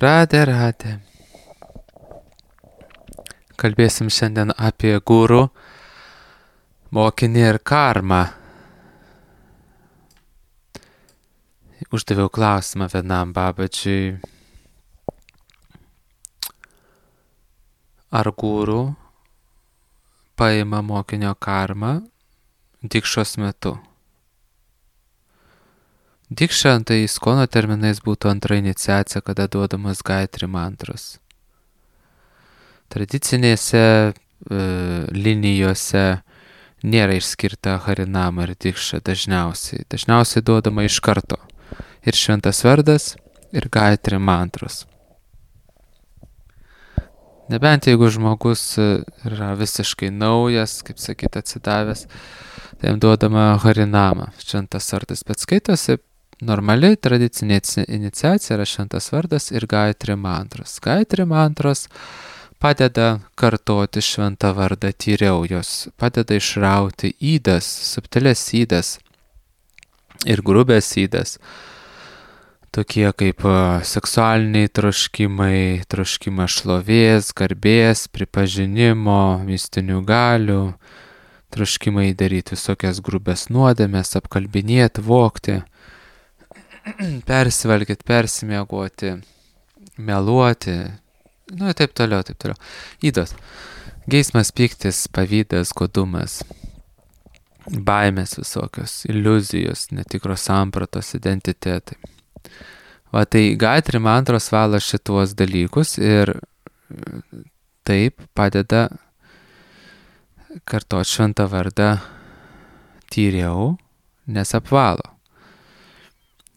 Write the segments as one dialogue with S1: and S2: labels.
S1: Radė, radė. Kalbėsim šiandien apie guru, mokinį ir karmą. Uždaviau klausimą vienam babadžiui. Ar guru paima mokinio karmą dikšos metu? Dikša tai iskono terminais būtų antra iniciacija, kada duodamas gaitri mantros. Tradicinėse linijose nėra išskirta harinama ir dikša dažniausiai. Dažniausiai duodama iš karto. Ir šventas vardas, ir gaitri mantros. Nebent jeigu žmogus yra visiškai naujas, kaip sakyt, atsidavęs, tai jam duodama harinama, šventas vardas. Bet skaitosi normali tradicinė iniciacija yra šventas vardas ir gaitri mantros. Gaitri mantros padeda kartoti šventą vardą tyriau, jos padeda išrauti ydas, subtilės ydas ir grubės ydas, tokie kaip seksualiniai troškimai, troškimas šlovės, garbės, pripažinimo, mistinių galių, troškimai daryti visokias grubės nuodėmes, apkalbinėti, vogti, persivalgyti, persimiegoti, meluoti, ir taip toliau, taip toliau. Ydos. Geismas, pyktis, pavydas, godumas, baimės visokios, iliuzijos, netikros sampratos, identitetai. Va tai gaitri mantros valo šituos dalykus ir taip padeda kartot šventą vardą tyriau, nes apvalo.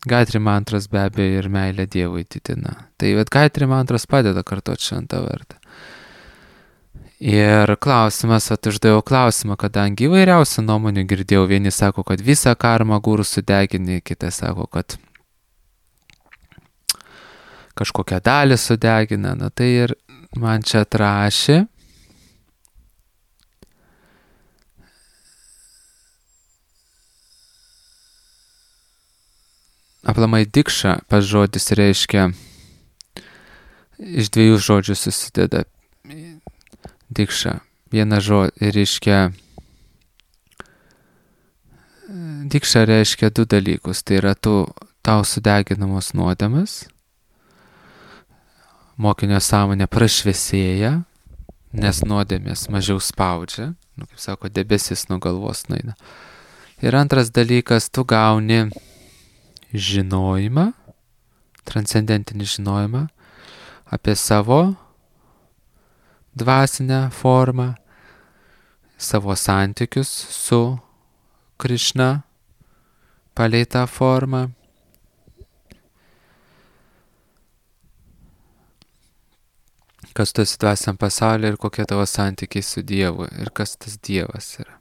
S1: Gaitri mantros be abejo ir meilę Dievui didina. Tai gaitri mantros padeda kartot šventą vardą. Ir klausimas, uždaviau klausimą, kadangi įvairiausių nuomonių girdėjau, vieni sako, kad visą karmą guru sudegini, kiti sako, kad kažkokią dalį sudegina, tai ir man čia atrašė. Aplamai dikša, pas žodis reiškia, iš dviejų žodžių susideda dikša. Viena žodis reiškia, dikša reiškia du dalykus, tai yra tau sudeginamos nuodėmes, mokinio sąmonė prašviesėja, nes nuodėmės mažiau spaudžia, kaip sako, debesis nuo galvos nueina. Ir antras dalykas, tu gauni žinojimą, transcendentinį žinojimą apie savo dvasinę formą, savo santykius su Krišna palei tą formą. Kas tu esi dvasiniam pasaulyje ir kokie tavo santykiai su Dievu ir kas tas Dievas yra.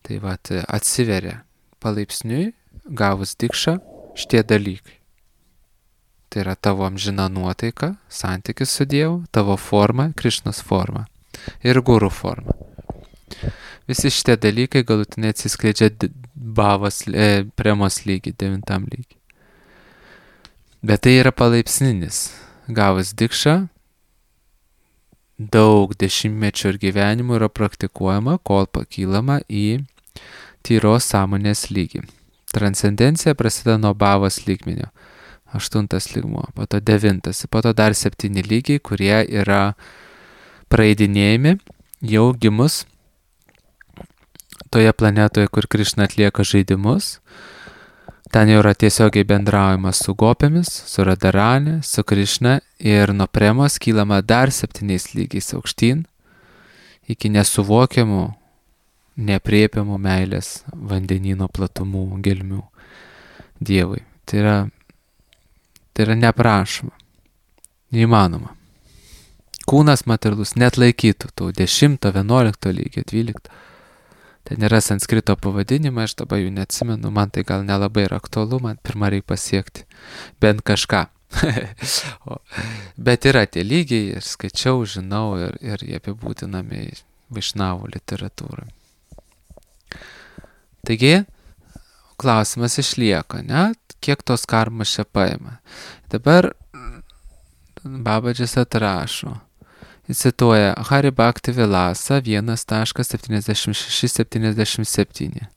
S1: Tai atsiveria palaipsniui, gavus dikšą, šitie dalykai. Tai yra tavo amžina nuotaika, santykis su Dievu, tavo forma, Krišnos forma ir guru forma. Visi šitie dalykai galutinai atsiskleidžia premos lygį, 9 lygį. Bet tai yra palaipsninis. Gavus dikšą, daug dešimtmečių ir gyvenimų yra praktikuojama, kol pakylama į tyros sąmonės lygį. Transcendencija prasideda nuo bhavos lygmenio. 8 lygmuo, po to 9, po to dar 7 lygiai, kurie yra praeidinėjami jau gimus toje planetoje, kur Krišna atlieka žaidimus. Ten jau yra tiesiogiai bendraujama su gopėmis, su Radharani, su Krišna ir nuo premos kylama dar 7 lygiais aukštyn iki nesuvokiamų, neaprėpiamų meilės vandenyno platumų, gelmių Dievui. Tai yra neprašoma, neįmanoma. Kūnas materialus net laikytų tų 10, 11 lygio, 12. Ten yra sanskrito pavadinimai, aš dabar jų neatsimenu, man tai gal nelabai yra aktualu, man pirmą reikia pasiekti bent kažką. Bet yra tie lygiai ir skaičiau, žinau ir jie apibūdinami Vaišnavų literatūrą. Taigi, klausimas išlieka, ne? Kiek tos karmos čia paima. Dabar Babadžis atrašo. Jis cituoja Hari Bhakti Vilasa 1.7677.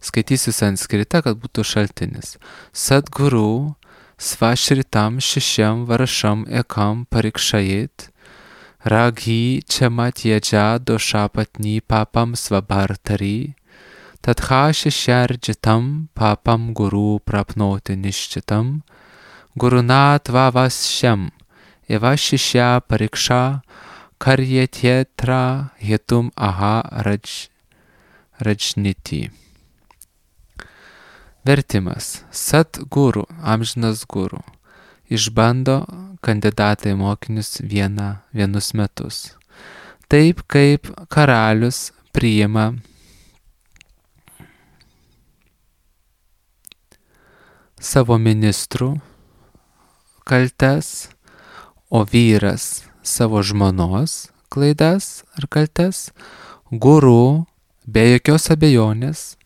S1: Skaitysiu sanskritą, kad būtų šaltinis. Sadguru svashritam šišiam varšam ekam parikšajit raghi chamatyeja doshapatni papam svabhartari tadha shisharjitam papam guru prapnoti nishchitam guruna tvavasyam eva shishya pariksha karyetyetra hitum aha rajniti. Vertimas. Sadguru, amžinas guru, išbando kandidatai mokinius vienus metus. Taip kaip karalius priima savo ministrų kaltes, o vyras savo žmonos klaidas ar kaltes, guru be jokios abejonės,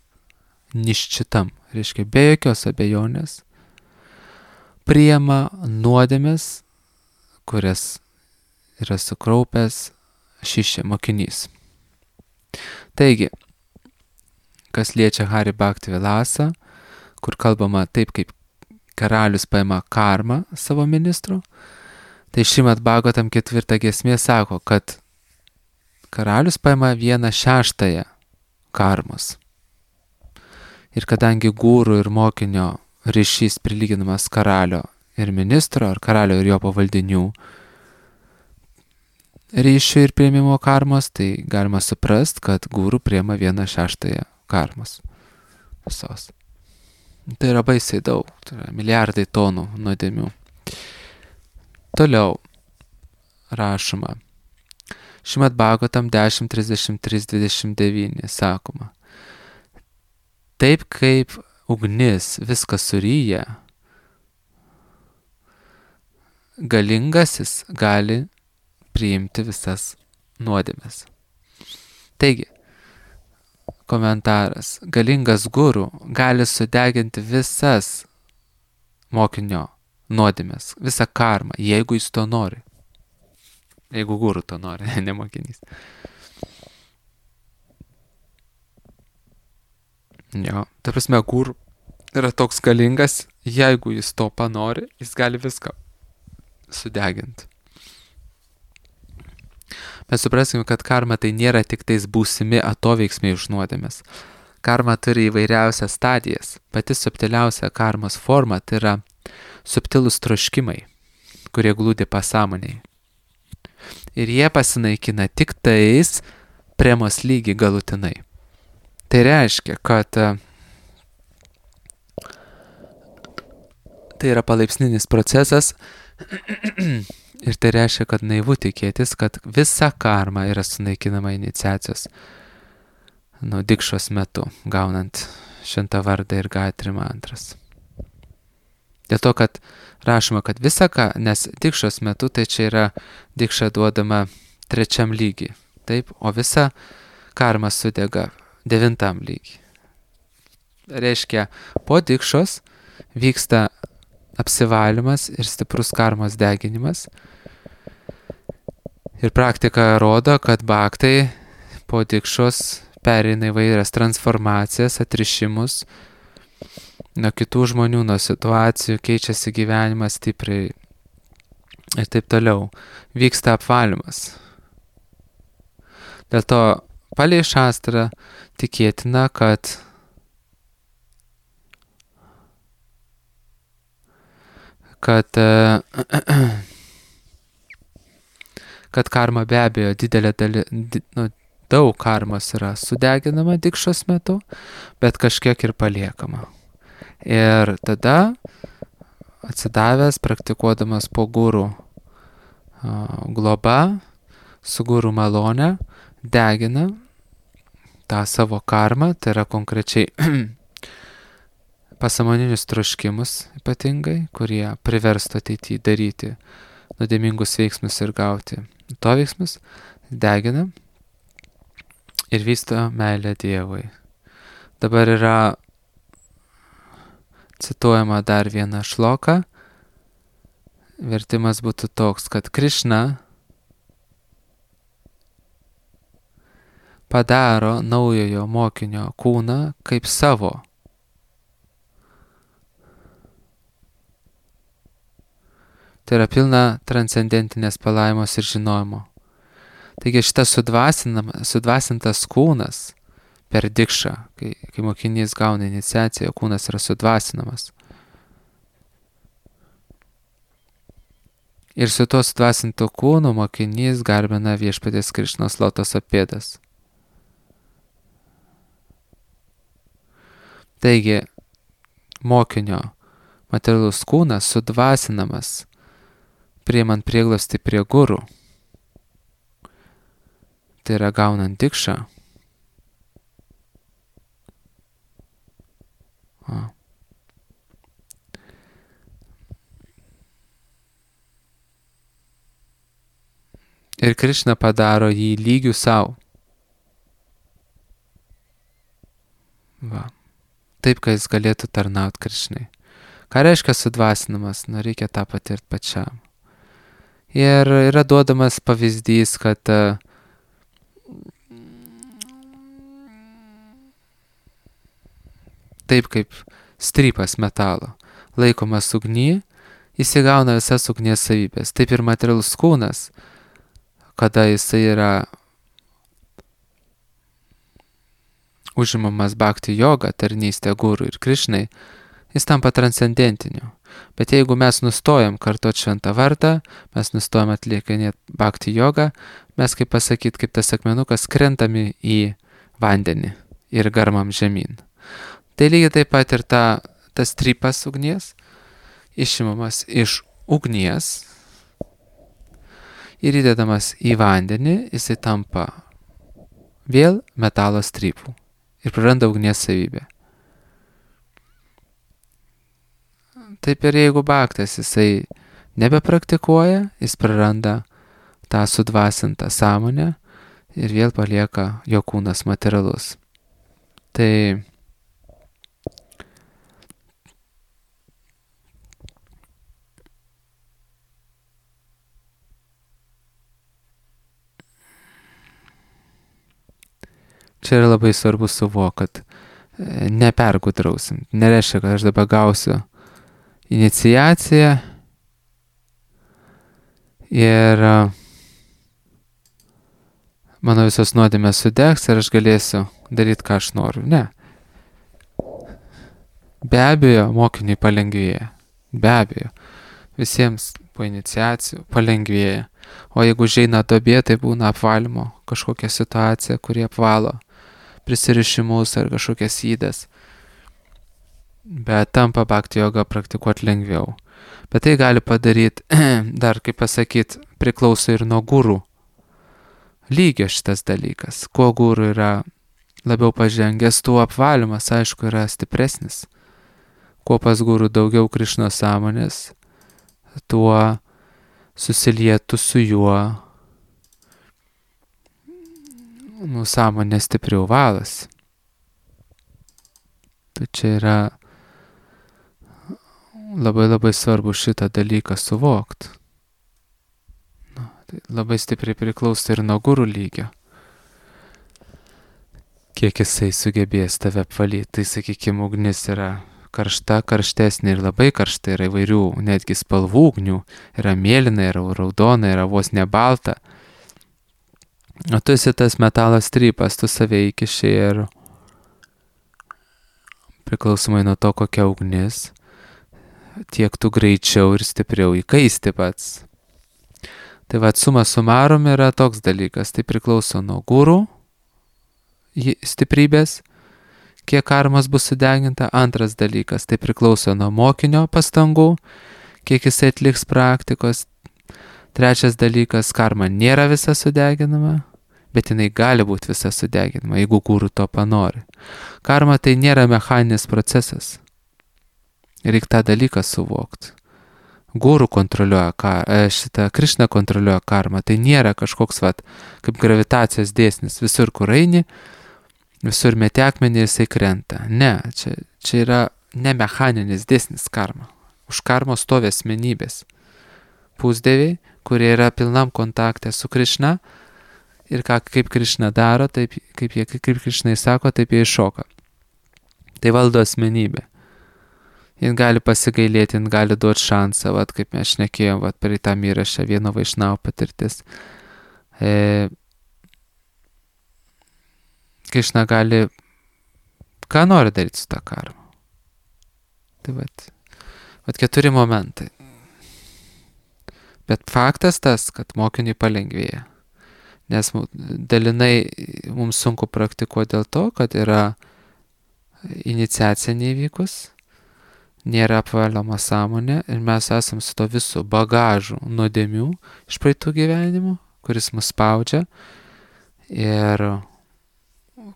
S1: niščitam, reiškia be jokios abejonės, priima nuodėmes, kurias yra sukraupęs šišė mokinys. Taigi, kas liečia Hari Bhakti Vilasą, kur kalbama taip, kaip karalius paima karmą savo ministrų, tai Šrimad Bhagavatam 4 giesmė sako, kad karalius paima 1/6 karmos. Ir kadangi guru ir mokinio ryšys prilyginamas karalio ir ministro, ar karalio ir jo pavaldinių ryšių ir priėmimo karmos, tai galima suprast, kad guru priima 1/6 karmos visos. Tai yra baisiai daug, tai yra milijardai tonų nuodėmių. Toliau rašoma. Šrimad Bhagavatam 10.33.29 sakoma. Taip kaip ugnis viską suryja, galingasis gali priimti visas nuodėmes. Taigi, komentaras. Galingas guru gali sudeginti visas mokinio nuodėmes, visą karmą, jeigu jis to nori. Jeigu guru to nori, ne mokinys. Jo, ta prasme, guru yra toks galingas, jeigu jis to panori, jis gali viską sudeginti. Mes supraskime, kad karma tai nėra tik tais būsimi atoveiksmiai už nuodėmes. Karma turi įvairiausias stadijas. Pati subtiliausia karmos forma tai yra subtilūs troškimai, kurie glūdi pasąmonėje. Ir jie pasinaikina tik tais premos lygį galutinai. Tai reiškia, kad tai yra palaipsninis procesas ir tai reiškia, kad naivu tikėtis, kad visa karma yra sunaikinama iniciacijos dikšos metu, gaunant šventą vardą ir Gayatri mantras. Dėl to, kad rašoma, kad visa nes dikšos metu tai čia yra dikša duodama 3 lygiui, taip, o visa karma sudega 9 lygiui. Reiškia, po dikšos vyksta apsivalymas ir stiprus karmos deginimas. Ir praktika rodo, kad bhaktai po dikšos pereina įvairias transformacijas, atrišimus nuo kitų žmonių, nuo situacijų, keičiasi gyvenimas stipriai ir taip toliau. Vyksta apvalymas. Dėl to palei šastrą tikėtina, kad karma be abejo daug karmos yra sudeginama dikšos metu, bet kažkiek ir paliekama. Ir tada atsidavęs, praktikuodamas po guru globa, su guru malone, degina tą savo karmą, tai yra konkrečiai pasąmoninius troškimus ypatingai, kurie priverstų ateityje daryti nuodėmingus veiksmus ir gauti to veiksmus, degina ir vysto meilę Dievui. Dabar yra cituojama dar viena šloka vertimas būtų toks, kad Krišna padaro naujojo mokinio kūną kaip savo. Tai yra pilna transcendentinės palaimos ir žinojimo. Taigi šitas sudvasintas kūnas per dikšą, kai mokinys gauna iniciaciją, kūnas yra sudvasinamas. Ir su tuo sudvasintu kūnu mokinys garbina viešpaties Krišnos lotoso pėdas. Taigi, mokinio materialus kūnas sudvasinamas, priimant prieglobstį prie guru. Tai yra gaunant dikšą. Ir Krišna padaro jį lygių savo. Va. Taip, kad jis galėtų tarnauti Krišnai. Ką reiškia sudvasinamas? Reikia tą patirti pačiam. Ir yra duodamas pavyzdys, kad taip kaip strypas metalo laikomas ugny, jis įgauna visas ugnies savybės. Taip ir materialus kūnas, kada jisai yra užimamas bhakti joga, tarnystė guru ir Krišnai, jis tampa transcendentiniu. Bet jeigu mes nustojam kartot šventą vardą, mes nustojam atlikinėti bhakti jogą, mes, kaip pasakyt, kaip tas akmenukas, krentami į vandenį ir garmam žemyn. Tai lygiai taip pat ir tas strypas ugnies, išimamas iš ugnies ir įdedamas į vandenį, jisai tampa vėl metalo strypų ir praranda ugnies savybę. Taip ir jeigu bhaktas jisai nebepraktikuoja, jis praranda tą sudvasintą sąmonę ir vėl palieka jo kūnas materialus. Tai čia yra labai svarbu suvokti, kad nepergudrausim. Nereiškia, kad aš dabar gausiu iniciaciją ir mano visos nuodėmės sudegs ir aš galėsiu daryti, ką aš noriu. Ne. Be abejo, mokiniui palengvėja. Be abejo. Visiems po iniciacijų palengvėja. O jeigu užeina duobė, tai būna apvalymo kažkokia situacija, kuri apvalo prisirišimus ar kažkokias įdas. Bet tampa bhakti jogą praktikuoti lengviau. Bet tai gali padaryti, dar kaip pasakyti, priklauso ir nuo gurų lygio šitas dalykas. Kuo gurų yra labiau pažengęs, tuo apvalymas, aišku, yra stipresnis. Kuo pas gurų daugiau Krišnos sąmonės, tuo susilietų su juo sąmonė stipriau valas. Tai čia yra labai labai svarbu šitą dalyką suvokti. Tai labai stipriai priklauso ir nuo gurų lygio. Kiek jisai sugebės tave apvalyti. Tai, sakykime, ugnis yra karšta, karštesnė ir labai karšta, yra įvairių netgi spalvų ugnių. Yra mėlyna, yra raudona, yra vos ne balta. O tu esi tas metalo strypas, tu save įkiši ir priklausomai nuo to, kokia ugnis, tiek tu greičiau ir stipriau įkaisti pats. Tai va, suma sumarum yra toks dalykas, tai priklauso nuo gurų stiprybės, kiek karmos bus sudeginta. Antras dalykas, tai priklauso nuo mokinio pastangų, kiek jisai atliks praktikos. Trečias dalykas, karma nėra visa sudeginama, bet jinai gali būti visa sudeginama, jeigu guru to panori. Karma tai nėra mechaninis procesas. Reikia tą dalyką suvokti. Guru kontroliuoja Krišna kontroliuoja karmą. Tai nėra kažkoks kaip gravitacijos dėsnis. Visur, kur eini, visur meti akmenį ir jisai krenta. Ne, čia yra ne mechaninis dėsnis karma. Už karmos stovi asmenybės. pusdieviai, kurie yra pilnam kontakte su Krišna ir kaip Krišna daro, taip, kaip Krišnai sako, taip jie iššoka. Tai valdo asmenybė. Jis gali pasigailėti, jis gali duoti šansą, vat, kaip mes šnekėjom, vat, per tą įrašą vieno Vaišnavo patirtis. Krišna gali ką nori daryti su tą karmą. Tai vat 4 momentai. Bet faktas tas, kad mokiniui palengvėja. Nes dalinai mums sunku praktikuoti dėl to, kad yra iniciacija neįvykus, nėra apvaloma sąmonė ir mes esam su to visų bagažų nuodėmių iš praeitų gyvenimų, kuris mus spaudžia ir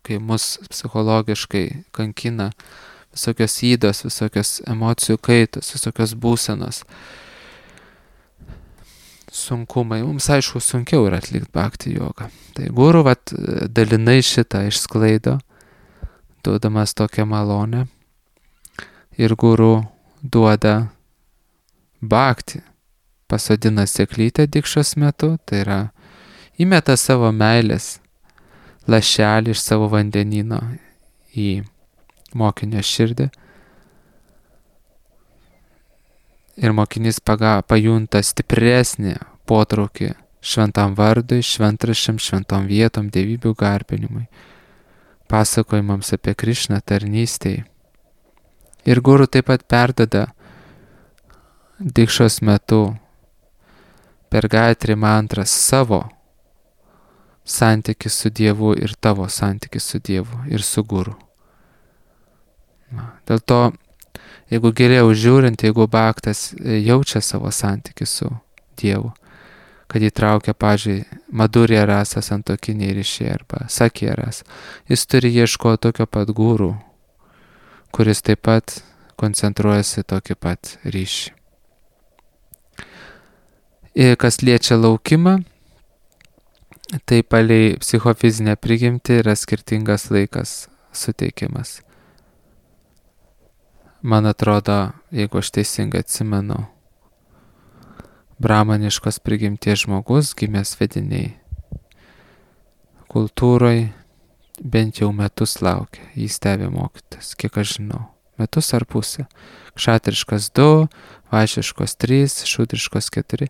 S1: kai mus psichologiškai kankina visokios įdos, visokios emocijų kaitos, visokios būsenos, sunkumai. Mums aišku sunkiau yra atlikti bhakti jogą. Tai guru dalinai šitą išsklaido, duodamas tokią malonę. Ir guru duoda bhakti, pasodina sėklytę dikšos metu, tai yra įmeta savo meilės lašelį iš savo vandenyno į mokinio širdį. Ir mokinys pajunta stipresnį potraukį šventam vardui, šventraščiam, šventom vietom, dievybių garbinimui, pasakojimams apie Krišną, tarnystėj. Ir guru taip pat perdada dikšos metu per Gayatri mantrą savo santykį su Dievu ir tavo santykį su Dievu ir su guru. Dėl to, jeigu geriau žiūrint, jeigu bhaktas jaučia savo santykį su Dievu, kad įtraukia, pavyzdžiui, madurya rasa santokiniai ryšiai arba sakya rasa, jis turi ieškoti tokio pat guru, kuris taip pat koncentruojasi tokį pat ryšį. Ir kas liečia laukimą, tai palei psichofizinę prigimtį yra skirtingas laikas suteikiamas. Man atrodo, jeigu aš teisingai atsimenu, brahmaniškos prigimties žmogus, gimęs vediniai kultūroje, bent jau metus laukia, jį stebi mokytas, kiek aš žinau, metus ar pusę. Kšatriškas 2, vaišiškos 3, šudriškos 4.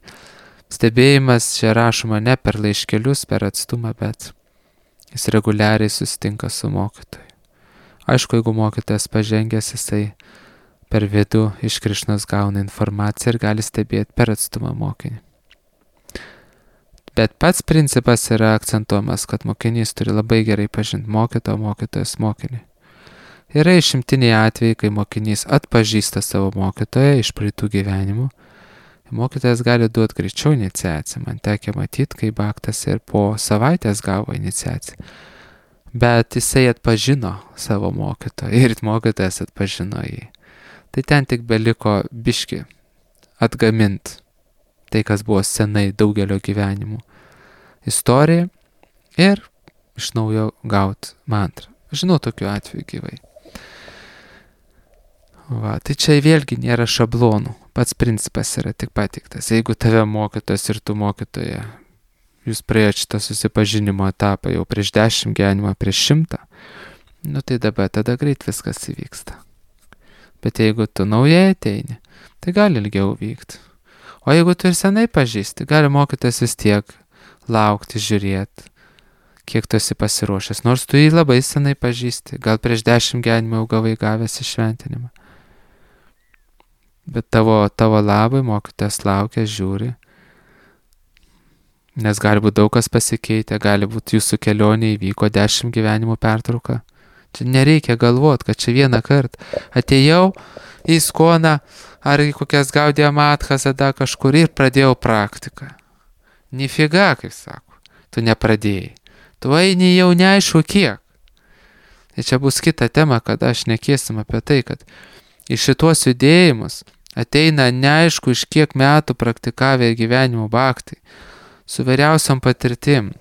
S1: Stebėjimas čia rašoma ne per laiškelius, per atstumą, bet jis reguliariai susitinka su mokytoju. Aišku, jeigu mokytojas pažengęs, jisai per vidų iš Krišnos gauna informaciją ir gali stebėti per atstumą mokinį. Bet pats principas yra akcentuojamas, kad mokinys turi labai gerai pažinti mokytoją, mokytojas mokinį. Yra išimtiniai atvejai, kai mokinys atpažįsta savo mokytoją iš praeitų gyvenimų. Mokytojas gali duoti greičiau iniciaciją. Man tekia matyti, kai bhaktas ir po savaitės gavo iniciaciją. Bet jisai atpažino savo mokytoją ir mokytojas atpažino jį. Tai ten tik beliko biški atgamint tai, kas buvo senai daugelio gyvenimų istorija ir iš naujo gauti mantrą. Žinau tokių atvejų gyvai. Tai čia vėlgi nėra šablonų. Pats principas yra tik pateiktas. Jeigu tave mokytojas ir tu mokytoja, jūs praėjote šitą susipažinimo etapą jau prieš 10 gyvenimą, prieš 100, tai dabar tada greit viskas įvyksta. Bet jeigu tu naujai ateini, tai gali ilgiau vykti. O jeigu tu ir senai pažįsti, gali mokytojas vis tiek laukti, žiūrėti, kiek tu esi pasiruošęs. Nors tu jį labai senai pažįsti, gal prieš 10 gyvenimą jau gavai gavęs įšventinimą. Bet tavo labai mokytojas laukia, žiūri. Nes gali būti daug kas pasikeitę, gali būti jūsų kelionė įvyko 10 gyvenimų pertrauka. Čia nereikia galvoti, kad čia vieną kartą atėjau į Iskoną ar į kokias Gaudiją Matchas, tada kažkur ir pradėjau praktiką. Nifiga, kaip sako, tu nepradėjai. Tu eini jau neaišku kiek. Ir čia bus kita tema, kada aš nekėsim apie tai, kad į šitos judėjimus ateina neaišku iš kiek metų praktikavę gyvenimo bhaktai, su vairiausiom patirtim.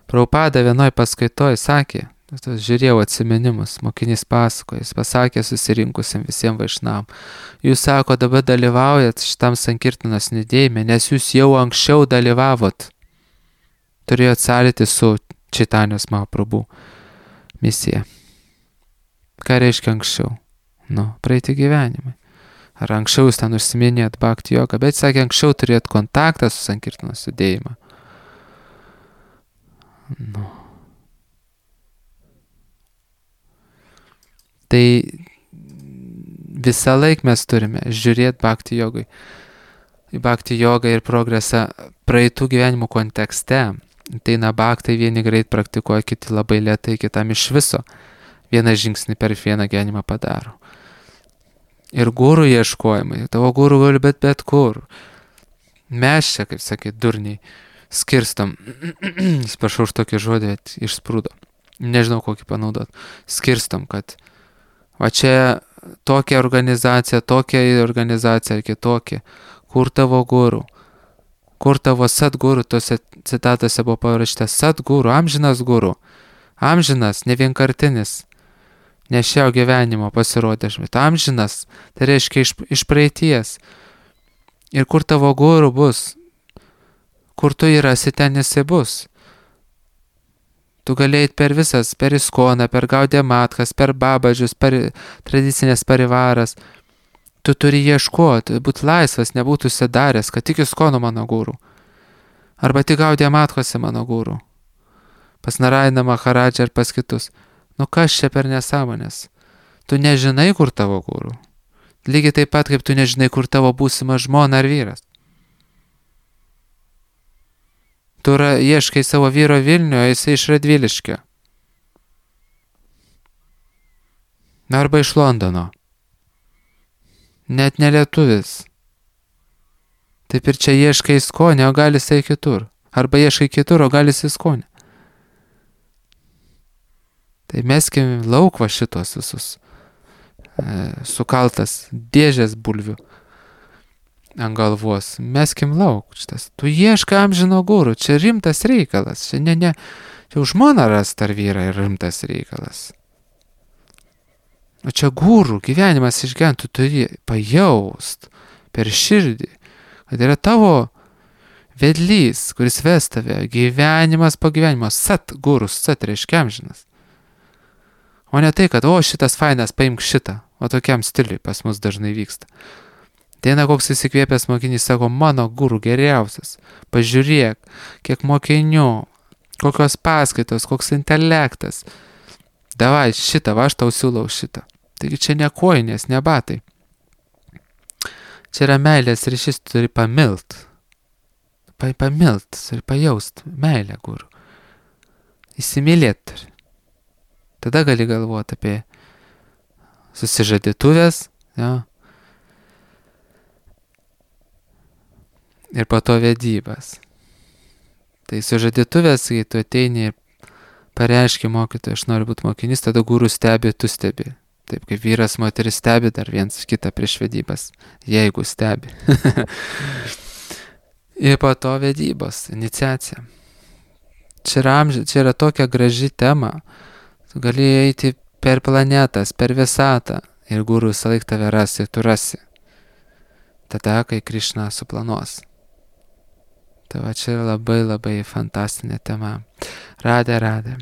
S1: Prabhupada vienoj paskaitoj sakė, Žiūrėjau atsiminimus, mokinys pasakoja, jis pasakė susirinkusiam visiems vaišnavam. Jūs sako, dabar dalyvaujat šitam Sankirtanos judėjime, nes jūs jau anksčiau dalyvavot. Turėjot sąlytį su Čaitanijos Mahaprabhu misija. Ką reiškia anksčiau? Praeiti gyvenimai. Ar anksčiau jūs ten užsiminėjot bhakti jogą, bet sakė, anksčiau turėjot kontaktą su Sankirtanos judėjimu. Tai visą laiką mes turime žiūrėti bhakti jogai. Į bhakti jogą ir progresą praeitų gyvenimų kontekste. Tai bhaktai vieni greit praktikuoja, kiti labai lėtai, kitam iš viso vieną žingsnį per vieną gyvenimą padaro. Ir gurų ieškojimai. Tavo gurų gali bet kur. Mes čia, kaip sakyt, durniai, skirstom. Sprašau už tokį žodį, išsprūdo. Nežinau, kokį panaudot. Skirstom, kad va čia tokia organizacija ar kitokia. Kur tavo gurų? Kur tavo satgurų? Tose citatose buvo parašyta satgurų, amžinas gurų. Amžinas, ne vienkartinis. Ne šio gyvenimo pasirodė, bet amžinas, tai reiškia iš praeities. Ir kur tavo gurų bus? Kur tu rasi, ten jisai bus. Tu galėjai per visas, per Iskoną, per Gaudiją Matkas, per Babadžius, per tradicinės parivaras. Tu turi ieškoti, būti laisvas, nebūtų užsidaręs, kad tik Iskono mano gurų. Arba tik Gaudiją Matkose mano gurų. Pas Narainą Maharadžą ir pas kitus. Kas čia per nesąmonės? Tu nežinai, kur tavo gurų. Lygiai taip pat, kaip tu nežinai, kur tavo būsima žmona ar vyras. Tu ieškai savo vyro Vilniuje, o jisai iš Radviliškio. Arba iš Londono. Net nelietuvis. Taip ir čia ieškai Iskonę, o gali jisai kitur. Arba ieškai kitur, o gali jisai Iskonę. Tai meskim lauk va šitos visus sukaltas dėžės bulvių ant galvos. Meskim lauk šitas. Tu ieškai amžino gurų, čia rimtas reikalas. Čia čia už žmoną rast ar vyrą ir rimtas reikalas. O čia gurų gyvenimas išgyvent, tu turi pajaust per širdį, kad yra tavo vedlys, kuris ves tave gyvenimas po gyvenimo. Sat gurus, sat reiškia amžinas. O ne tai, kad šitas fainas, paimk šitą. O tokiam stiliui pas mus dažnai vyksta. Ateina koks įsikvėpęs mokinys, sako, mano gurų geriausias. Pažiūrėk, kiek mokinių, kokios paskaitos, koks intelektas. Davai šitą, aš tau siūlau šitą. Taigi čia ne kojinės, ne batai. Čia yra meilės ryšys, tu turi pamilt. Pamilt, turi pajaust meilę gurų. Įsimylėt turi. Tada gali galvoti apie susižadėtuvės, ir po to vedybas. Tai sužadėtuvės, kai tu ateini ir pareiški mokytojui, aš noriu būti mokinys, tada gurų stebi, tu stebi. Taip kaip vyras, moteris stebi dar viens kitą prieš vedybas, jeigu stebi. Ir po to vedybos, iniciacija. Čia yra tokia graži tema. Tu gali eiti per planetas, per visatą ir gurų visą laiką tave rasi, tu rasi. Tada, kai Krišna suplanuos. Tai va čia labai labai fantastinė tema. Radė.